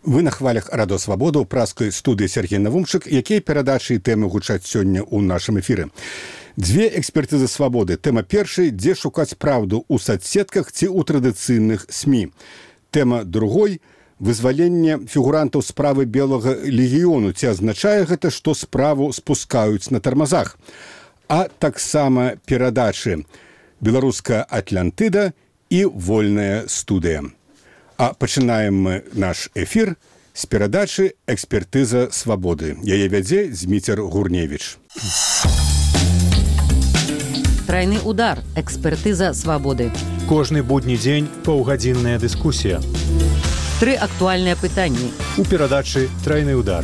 Вы на хвалях Радо Свабода ў праскай студыі Сергей Навумчык, якія перадачы і тэмы гучаць сёння ў нашым эфіры. Дзве экспертызы свабоды. Тэма першай, дзе шукаць праўду ў садсетках ці ў традыцыйных СМІ. Тэма другой, вызваленне фігурантаў справы Белага легіёну. Ці азначае гэта, што справу спускаюць на тармазах? А таксама перадачы «Беларуская Атлантыда» і «Вольная студыя». А пачынаем мы наш эфір з перадачы «Экспертыза свабоды». Яе вядзе Зміцер Гурневіч. Трайны удар. Экспертыза свабоды. Кожны будні дзень паўгадзінная дыскусія. 3 актуальныя пытанні. У перадачы «Трайны удар».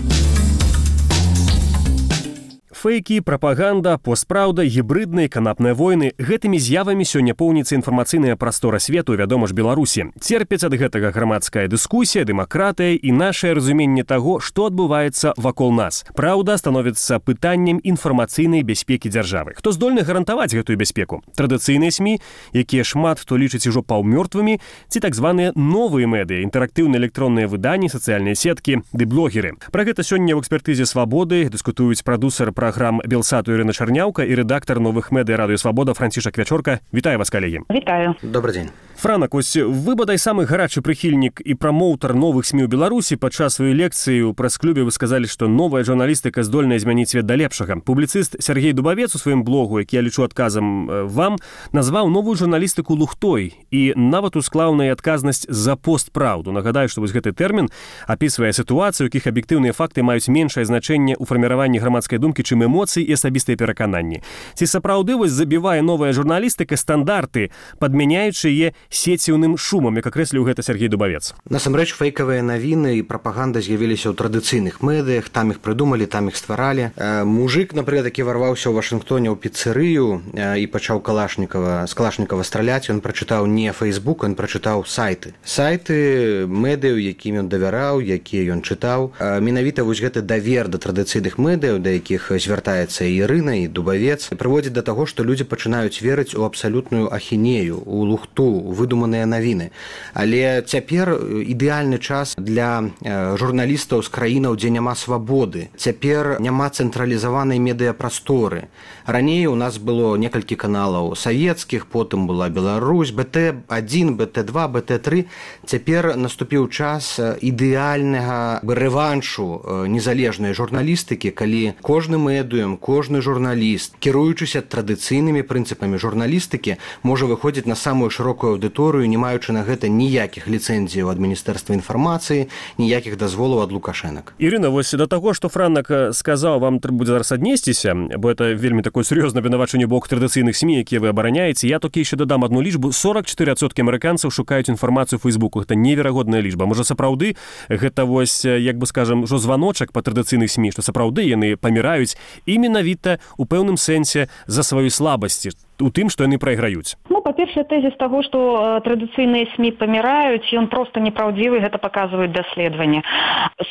Фейкі, прапаганда, постпраўда, гібрыдныя, канапныя войны – гэтымі з'явамі сёння поўніцца інфармацыйная прастора свету, вядома ж, Беларусі. Церпяць ад гэтага грамадская дыскусія, дэмакратыя і нашае разуменне таго, што адбываецца вакол нас. Праўда становіцца пытаннем інфармацыйнай бяспекі дзяржавы. Хто здольны гарантаваць гэтую бяспеку? Традыцыйныя СМІ, якія шмат хто лічыць ужо паўмёртвымі, ці так званыя новыя медыа, інтэрактыўныя электронныя выданні, сацыяльныя сеткі ды блогеры. Пра гэта сёння ў экспертызе свабоды дыскутуюць прадусер программ Белсату Ірына Чарняўка і рэдактар новых медыа Радыё Свабода Францішак Вячорка. Вітаю вас, калегі. Вітаю. Добрый дзень. Франак, ось вы, бадай, самы гарачы прыхільнік і прамоўтар новых СМІ ў Беларусі. Падчас сваёй лекцыі ў прэс-клубе вы сказалі, што новая журналістыка здольная змяніць свет да лепшага. Публіцыст Сергей Дубавец у сваім блогу, які я лічу адказам вам, назваў новую журналістыку лухтой і нават усклаў на адказнасць за постпраўду. Нагадаю, што вось гэты тэрмін апісвае сітуацыю, у якіх аб'ектыўныя факты маюць меншае значэнне ў фарміраванні грамадскай думкі, чым эмоцыі і асабістыя перакананні. Ці сапраўды вось забівае новая журналістыка стандарты, падмяняючы яе сеціўным шумам, як акрэсліў гэта Сергей Дубавец? Насамрэч, фейкавыя навіны і прапаганда з'явіліся ў традыцыйных медыях, там іх прыдумалі, там іх стваралі. Мужик, напрыклад, які варваўся ў Вашынгтоне ў піцэрыю і пачаў з калашнікава страляць, ён прачытаў не Фейсбук, ён прачытаў сайты. Сайты медыяў, якім ён давяраў, якія ён чытаў. Менавіта вось гэты давер да традыцыйных медыяў, да якіх звяртаецца і Ірына, і Дубавец, прыводзіць да таго, што людзі пачынаюць верыць у абсалютную ахінею, у лухту, у выдуманыя навіны. Але цяпер ідэальны час для журналістаў з краінаў, дзе няма свабоды. Цяпер няма цэнтралізаванай медыяпрасторы. Раней у нас было некалькі каналаў савецкіх, потым была Беларусь, БТ-1, БТ-2, БТ-3. Цяпер наступіў час ідэальнага рэваншу незалежнай журналістыкі, калі кожны медыум, кожны журналіст, кіруючыся традыцыйнымі прынцыпамі журналістыкі, можа выходзіць на самую шырокую аўдыторыю, не маючы на гэта ніякіх ліцэнзіяў ад Міністэрства інфармацыі, ніякіх дазволаў ад лукашэнак. Ірына, вось да таго, што Франак сказаў, вам трэба будзе зараз аднесціся, бо это вельмі такое сур'ёзнае абвінавачанне бок традыцыйных СМІ, якія вы абараняеце. Я толькі яшчэ дадам адну лічбу. 44% амерыканцаў шукаюць інфармацыю ў Фейсбуку. Гэта неверагодная лічба. Можа, сапраўды гэта вось, як бы скажам, ужо званочак па традыцыйных СМІ, што сапраўды яны паміраюць і менавіта у пэўным сэнсе за сваю слабасці, у тым, што яны прайграюць. Па-першае, тэзіс таго, што традыцыйныя СМІ паміраюць, ён проста неправдзівы, гэта паказваюць даследаванні.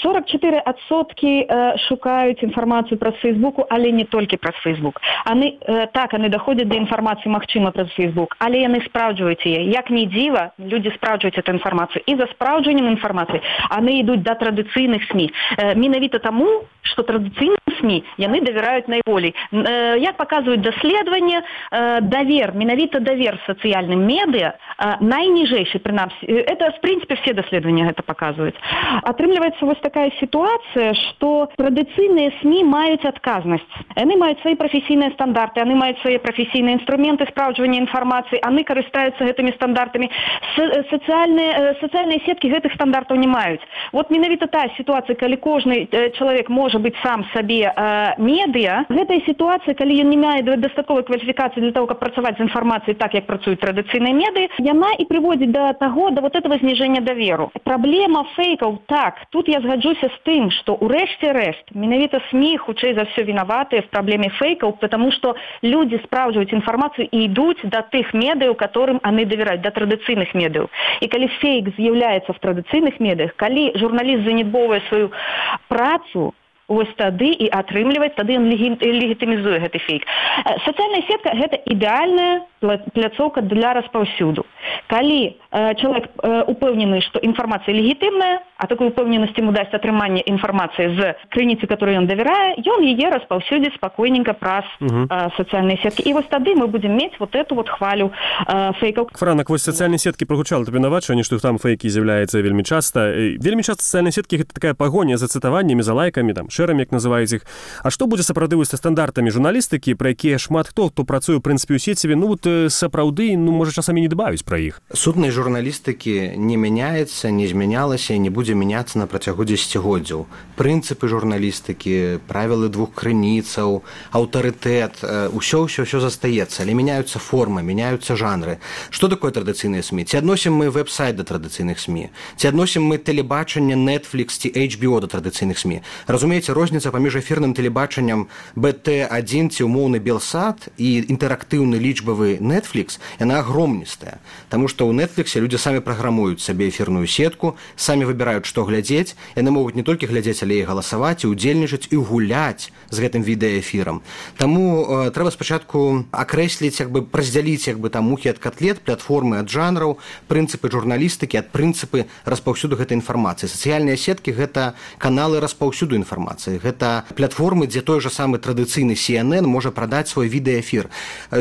44% шукаюць інфармацыю праз Фейсбуку, але не толькі праз Фейсбук. Яны даходзяць да інфармацыі, магчыма, праз Фейсбук, але яны спраўджваюць яе. Як ні дзіва, людзі спраўджваюць эту інфармацыю. І за спраўджваннем інфармацыі яны ідуць да традыцыйных СМІ. Менавіта таму, што традыцыйныя СМІ яны давяраюць найболей. Як паказваюць даследаванні, менавіта давер сацыяльным медыа найніжэйшы, прынамсі. Это, в прынцыпе, все даследаванні гэта паказваюць. Атрымліваецца вось такая сітуацыя, што традыцыйныя СМІ маюць адказнасць. Яны маюць свае прафесійныя стандарты, яны маюць свае прафесійныя інструменты спраўджвання інфармацыі, яны карыстаюцца гэтымі стандартамі. Сацыяльныя сеткі гэтых стандартаў не маюць. Вот менавіта тая сітуацыя, калі кожны чалавек можа быць сам сабе медыа, гэтая сітуацыя, калі ён не мае дастатковай кваліфікацыі для того, каб працаваць з інфармацыяй так, як працуюць традыцыйныя медыа, яна і прыводзіць да таго, да вот этого зніжэння даверу. Праблема фейкаў, так, тут я згаджуся з тым, што ў рэшце-рэшт менавіта СМІ хутчэй за ўсё вінаватыя в праблеме фейкаў, потому што людзі спраўджваюць інфармацыю і ідуць да тых медыяў, которым яны давяраюць, да традыцыйных медыяў. І калі фейк з'яўляецца в традыцыйных медыях, калі журналіст занядбоўвае сваю працу, вось тады і атрымліваць, тады ён легітымізуе гэты фейк. Сацыяльная сетка – гэта ідэальная пляцоўка для распаўсюду. Калі чалавек упэўнены, што інфармацыя легітымная, а такую упэўненасць ему дасць атрыманне інфармацыі з крыніцы, которой ён давярае, ён яе распаўсюдзіць спакойненька праз сацыяльныя сеткі. І вось тады мы будзем мець вот эту вот хвалю фейкаў. Франак, вось сацыяльныя сеткі прагучала табе навачванне, што там фейкі з'яўляецца вельмі часта. Вельмі часта сацыяльныя сеткі гэта такая пагоня за цытаваннямі, за лайкамі, там шэрамі, як называюць іх. А што будзе сапраўды са стандартамі журналістыкі, пра якія шмат хто працуе ў прынцыпе ў сеціве, ну вот сапраўды, можа часамі не дбаюць пра іх. Сутнасць журналістыкі не мяняецца, не змянялася і не будзе мяняцца на працягу дзесяцігоддзяў. Прынцыпы журналістыкі, правілы двух крыніцаў, аўтарытэт, усё застаецца, але мяняюцца формы, мяняюцца жанры. Што такое традыцыйныя СМІ? Ці адносім мы вэб-сайт да традыцыйных СМІ? Ці адносім мы тэлебачанне Netflix ці HBO да традыцыйных СМІ? Разумееце, розніца паміж эфірным тэлебачаннем BT1 ці умоўны Белсат і інтэрактыўны лічбавы Netflix, яна агромністая. Таму што ў Netflix людзі самі праграмуюць сабе эфірную сетку, самі выбіраюць, што глядзець. Яны могуць не толькі глядзець, але і галасаваць, і ўдзельнічаць, і гуляць з гэтым відэаэфірам. Таму трэба спачатку акрэсліць, раздзяліць там мухі ад котлет, платформы ад жанраў, прынцыпы журналістыкі ад прынцыпы распаўсюду гэтай інфармацыі. Сацыяльныя сеткі – гэта каналы распаўсюду інфармацыі. Гэта платформы, дзе той жа самы традыцыйны CNN можа прадаць свой відэаэфір.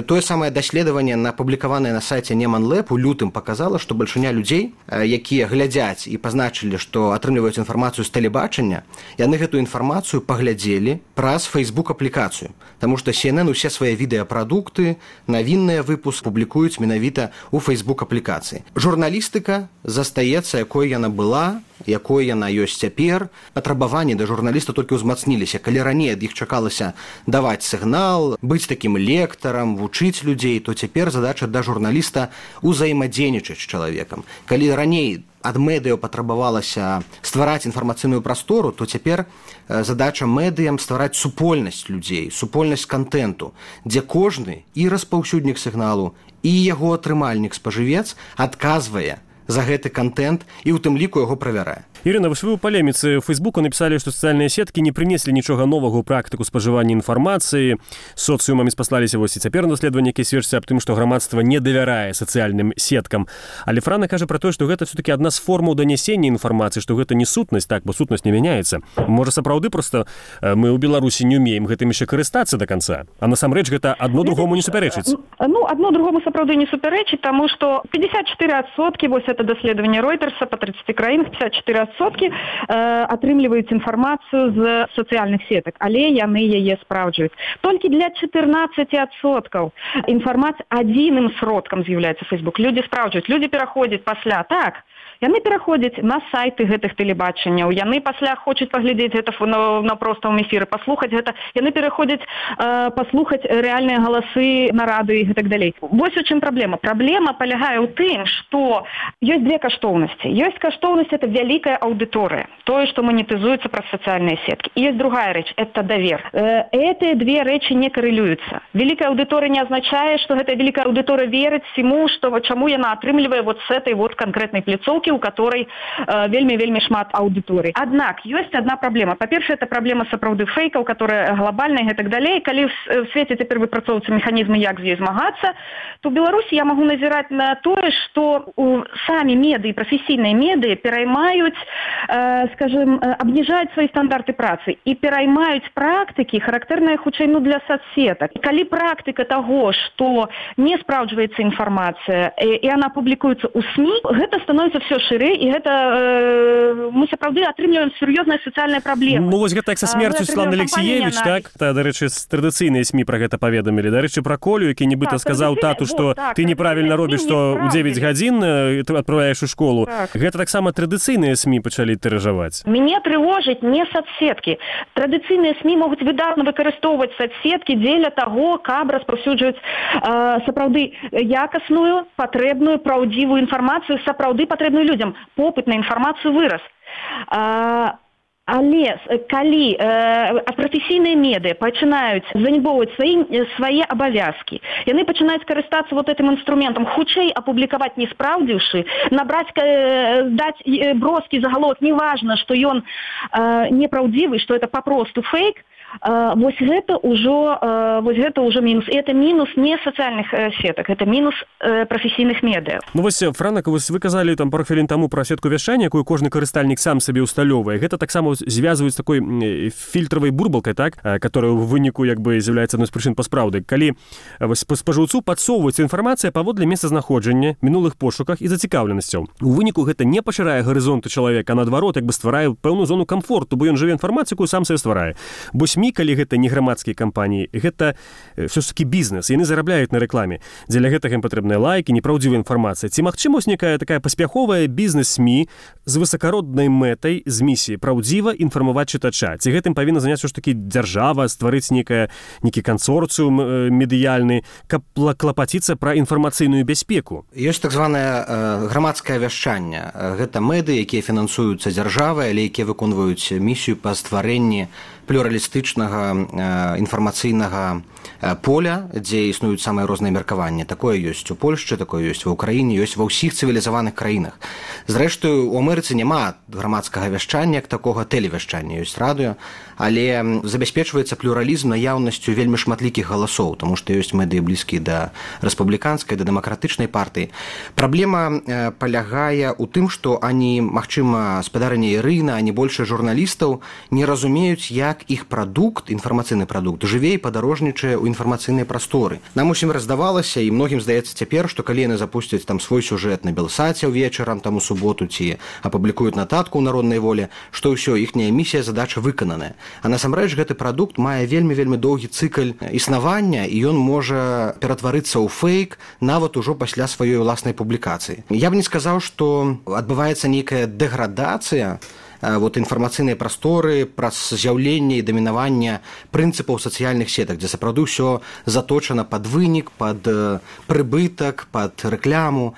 Тое самае даследаванне, апублікаванае на сайце Неман Лэб у лютым показала, што бальшыня людзей, якія глядзяць і пазначылі, што атрымліваюць інфармацыю з тэлебачання, яны гэтую інфармацыю паглядзелі праз Facebook-аплікацыю. Таму што CNN усе свае відэапрадукты, навінныя выпуск публікуюць менавіта ў Facebook-аплікацыі. Журналістыка застаецца, якой яна была, якой яна ёсць цяпер. Патрабаванні да журналіста толькі ўзмацніліся. Калі раней ад іх чакалася даваць сігнал, быць такім лектарам, вучыць людзей, то цяпер задача да журналіста ўзаемадзейнічаць з чалавекам. Калі раней ад медыяў патрабавалася ствараць інфармацыйную прастору, то цяпер задача медыям ствараць супольнасць людзей, супольнасць кантэнту, дзе кожны і распаўсюднік сігналу, і яго атрымальнік спажывец адказвае за гэты контент і ў тым ліку яго правярае. Ірына, вы ў палеміцы ў Фейсбуку напісалі, што сацыяльныя сеткі не прынеслі нічога новага ў практыку спажывання інфармацыі. Соцыумамі спаслаліся вось і цяпер даследаванні, якія сведчаць аб тым, што грамадства не давярае сацыяльным сеткам. Але Франа кажа пра тое, што гэта все-таки адна з формаў данясення інфармацыі, што гэта не сутнасць, так, бо сутнасць не мяняецца. Можа, сапраўды проста мы ў Беларусі не ўмеем гэтым яшчэ карыстацца да канца, а насамрэч гэта адно другому не супярэчыць. Адно другому сапраўды не супярэчыць, таму што 54%, вось это даследаванне Ройтерса па 30 краінах, 54% атрымліваюць інфармацыю з сацыяльных сетак, але яны яе спраўджваюць. Толькі для 14% інфармацыя адзіным сродкам з'яўляецца Facebook. Людзі спраўджваюць, людзі пераходзяць пасля, так, яны пераходзяць на сайты гэтых тэлебачанняў, яны пасля хочуць паглядзець гэта на простым эфіры, паслухаць гэта, яны пераходзяць паслухаць рэальныя галасы на радыё і так далей. Вось у чым праблема. Праблема палягае ў тым, што ёсць две каштоўнасці. Ёсць каштоўнасць – это вялікая аўдыторыя, тое, што манетызуецца праз сацыяльныя сеткі. І ёсць другая рэч – это давер. Гэтыя две рэчы не карэлююцца. Великая аўдыторыя не азначае, што гэтая великая аўдыторыя верыць всему, што чаму яна атрымлівае вот з этой вот канкрэтнай пляцоўкі, у которой вельмі шмат аўдыторый. Аднак ёсць одна праблема. Па-першае, это праблема сапраўды фейкаў, которая глобальная і так далей. Калі в свеце цяпер выпрацоўваюцца механізмы, як з ёй змагацца, то ў Беларусі я магу назіраць на тое, што самі медыі, прафесійныя медыі пераймаюць, скажем, абніжаюць свае стандарты працы і пераймаюць практыкі, характэрныя хутчэй для соцсетак. Калі практыка таго, што не спраўджваецца інфармацыя і она публікуецца ў СМІ, гэта становіцца все шырэй, і гэта мы сапраўды атрымліваем сур'ёзныя сацыяльныя праблемы. Ну вось гэта як са смерцю Светланы Алексіевіч, так? Дарэчы, традыцыйныя СМІ пра гэта паведамілі. Дарэчы, пра Колю, які нібыта сказаў тату, што ты неправільна робіш, што ў 9 гадзін адправляеш у школу. Гэта таксама традыцыйныя СМІ пачалі тыражаваць. Мяне трывожыць не соцсеткі. Традыцыйныя СМІ могуць выдатна выкарыстоўваць соцсеткі дзеля таго, каб распаўсюджваць сапраўды якасную, патрэбную, праўдзівую інфармацыю, сапраўды патрэбную людзям. Попыт на інфармацыю вырас. Але калі прафесійныя медыа пачынаюць занібоўваць свае абавязкі, яны пачынаюць карыстацца вот этим інструментам, хутчэй апублікаваць не спраўдзіўшы, набраць, даць броскі загаловак, неважна, што ён непраўдзівы, што это папросту фейк, Вось гэта ўжо мінус. І это мінус не сацыяльных сетак, это мінус прафесійных медыа. Ну вось, Франак, вы казалі там пару хвілін таму пра сетку вяшчання, якую кожны карыстальнік сам сабе ўсталёўвае. Гэта таксама звязваюць з такой фільтравай бурбалкай, так, которая ў выніку як бы з'яўляецца адной з прычын паспраўды. Калі спажыўцу падсоўваецца інфармацыя паводле месцазнаходжання, мінулых пошуках і зацікаўленасцяў. У выніку гэта не пашырае гарызонты чалавека, а наадварот, як бы стварае пэўную зону камфорту, бо ён жыве інфармацыю, якую сам сабе стварае. Бо СМІ, калі гэта не грамадскія кампаніі, гэта ўсё ж такі бізнес, яны зарабляюць на рэкламе. Дзеля гэтага ім патрэбныя лайкі, непраўдзівая інфармацыя. Ці магчыма некая такая паспяховая бізнес-СМІ з высакароднай мэтай, з місіяй праўдзіва інфармаваць чытача? Ці гэтым павінна заняцца ўсё ж такі дзяржава, стварыць нейкі кансорцыум медыяльны, каб клапаціцца пра інфармацыйную бяспеку? Ёсць так званае грамадскае вяшчанне. Гэта мэды, якія фінансуюцца дзяржавай, але якія выконваюць місію па стварэнні плюралістычнага інфармацыйнага поля, дзе існуюць самыя розныя меркаванні. Такое ёсць у Польшчы, такое ёсць ва ўкраіне, ёсць ва ўсіх цывілізаваных краінах. Зрэшты, у Амерыцы няма грамадскага вяшчання, як такога тэлевяшчання, ёсць радыё, але забяспечваецца плюралізм наяўнасцю вельмі шматлікіх галасоў, таму што ёсць медыі блізкія да рэспубліканскай, да дэмакратычнай партыі. Праблема палягае ў тым, што ані, магчыма, спадарыня Ірына, ані большасць журналістаў не разумеюць, як іх прадукт, інфармацыйны прадукт, жыве і падарожнічае ў інфармацыйнай прасторы. Нам усім раздавалася, і многім здаецца цяпер, што калі яны запусцяць там свой сюжэт на Белсаце ўвечарам, там у суботу, ці апублікуюць нататку ў Народнай волі, што ўсё, іхняя місія, задача выкананая. А насамрэч гэты прадукт мае вельмі доўгі цыкл існавання, і ён можа ператварыцца ў фейк нават ужо пасля сваёй уласнай публікацыі. Я б не сказаў, што адбываецца нейкая дэградацыя інфармацыйнай прасторы праз з'яўленне і дамінаванне прынцыпаў сацыяльных сетак, дзе сапраўды ўсё заточана пад вынік, пад прыбытак, пад рэкляму.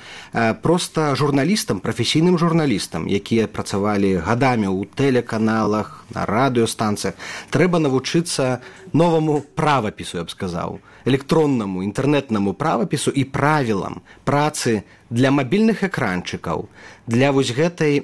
Проста журналістам, прафесійным журналістам, якія працавалі гадамі ў тэлеканалах, на радыёстанцыях, трэба навучыцца новаму правапісу, я б сказаў, электроннаму, інтэрнэтнаму правапісу і правілам працы для мабільных экранчыкаў, для вось гэтай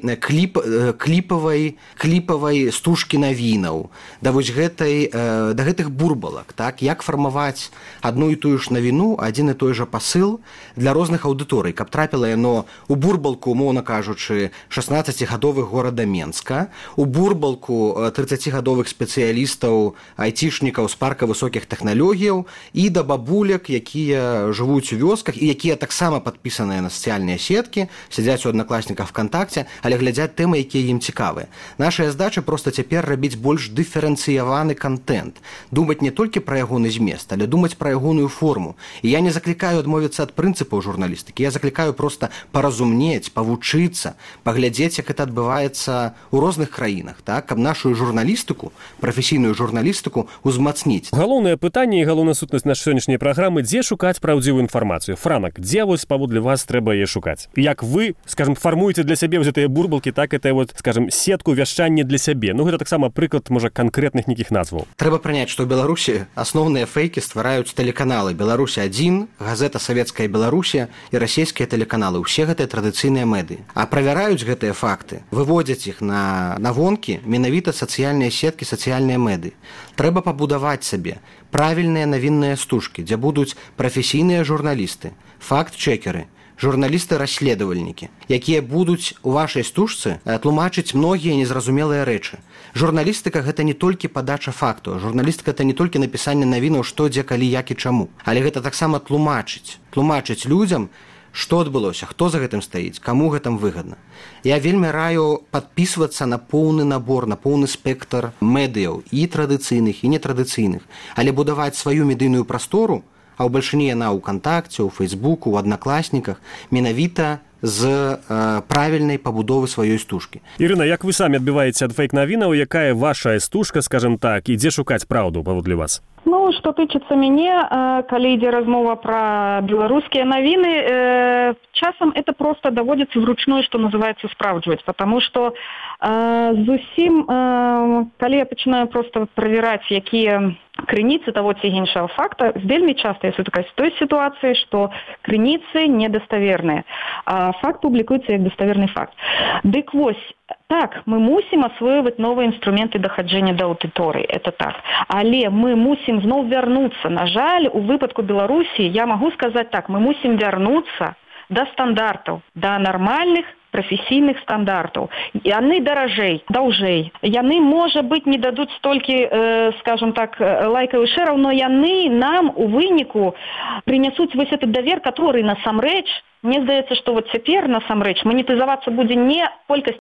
кліпавай стужкі навінаў, да вось гэтых бурбалак, так, як фармаваць адну і тую ж навіну, адзін і той жа пасыл для розных аўдыторый, каб трапіла яно у бурбалку, умоўна кажучы, 16-гадовых горада Менска, у бурбалку 30-гадовых спецыялістаў, айцішнікаў з парка высокіх тэхналогіяў і да бабуляк, якія жывуць у вёсках і якія таксама падпісаныя на сацыяльныя сеткі, сядзяць у аднакласніках ВКонтакце, але глядзяць тэмы, якія ім цікавыя. Нашая задача проста цяпер рабіць больш дыферэнцыяваны кантэнт, думаць не толькі пра ягоны змест, але думаць пра ягоную форму. І я не заклікаю адмовіцца ад прынцыпаў журналістыкі, я заклікаю проста паразумнець, павучыцца, паглядзець, як гэта адбываецца ў розных краінах, так, каб нашу журналістыку, прафесійную журналістыку узмацніць. Галоўнае пытанне і галоўная сутнасць нашай сённяшняй праграмы, дзе шукаць праўдзівую інфармацыю? Франак, дзе вось паводле вас трэба яе шукаць? Як вы, скажем, фармуеце для сябе гэтыя бурбалкі, так, это вот, скажем, сетку вяшчання для сябе. Ну, гэта таксама прыклад, можа, канкрэтных нейкіх назваў. Трэба прыняць, што ў Беларусі асноўныя фейкі ствараюць тэлеканалы. Беларусь-1, газета «Савецкая Беларусія» і расійскія тэлеканалы. Усе гэтыя традыцыйныя медыі. А правяраюць гэтыя факты, выводзяць іх на вонкі менавіта сацыяльныя сеткі, сацыяльныя медыі. Трэба пабудаваць сабе правільныя навінныя стужкі, дзе будуць прафесійныя журналісты, факт-чекеры, журналісты-расследавальнікі, якія будуць у вашай стужцы тлумачыць многія незразумелыя рэчы. Журналістыка – гэта не толькі падача факту, журналістыка – гэта не толькі напісанне навінаў, што, дзе, калі, як і чаму, але гэта таксама тлумачыць людзям, што адбылося, хто за гэтым стаіць, каму гэтым выгадна. Я вельмі раю падпісвацца на поўны набор, на поўны спектр медыяў, і традыцыйных, і нетрадыцыйных, але будаваць сваю медыйную прастору, а ў бальшыні яна ў Кантакце, ў Фейсбуку, ў Аднакласніках, менавіта з правільнай пабудовы сваёй стужкі. Ірына, як вы самі адбіваеце ад фейк-навінаў, якая ваша стужка, скажем так, і дзе шукаць праўду паводле вас? Ну, што тычыцца мяне, калі ідзе размова пра беларускія навіны, часам это просто даводзіцца вручную, што называецца, спраўджваць, потому што зусім, калі я пачынаю просто правяраць, якія крыніцы таго ці іншага факта, вельмі часта я сутыкаюся з той сітуацыяй, што крыніцы недаставерныя, а факт публікуецца як даставерны факт. Дык вось, Так, мы мусім асвоюваць новыя інструменты дахаджэння да аўдыторыі, это так. Але мы мусім зноў вярнуцца. На жаль, у выпадку Беларусі я магу сказаць так, мы мусім вярнуцца да стандартаў, да нармальных прафесійных стандартаў. Яны даражэй, даўжэй. Яны, можа быць, не дадуць столькі, скажем так, лайкаў і шэраў, но яны нам у выніку прынясуць вось этот давер, который насамрэч, мне здаецца, што вот цяпер насамрэч манетызавацца будзе не колькасць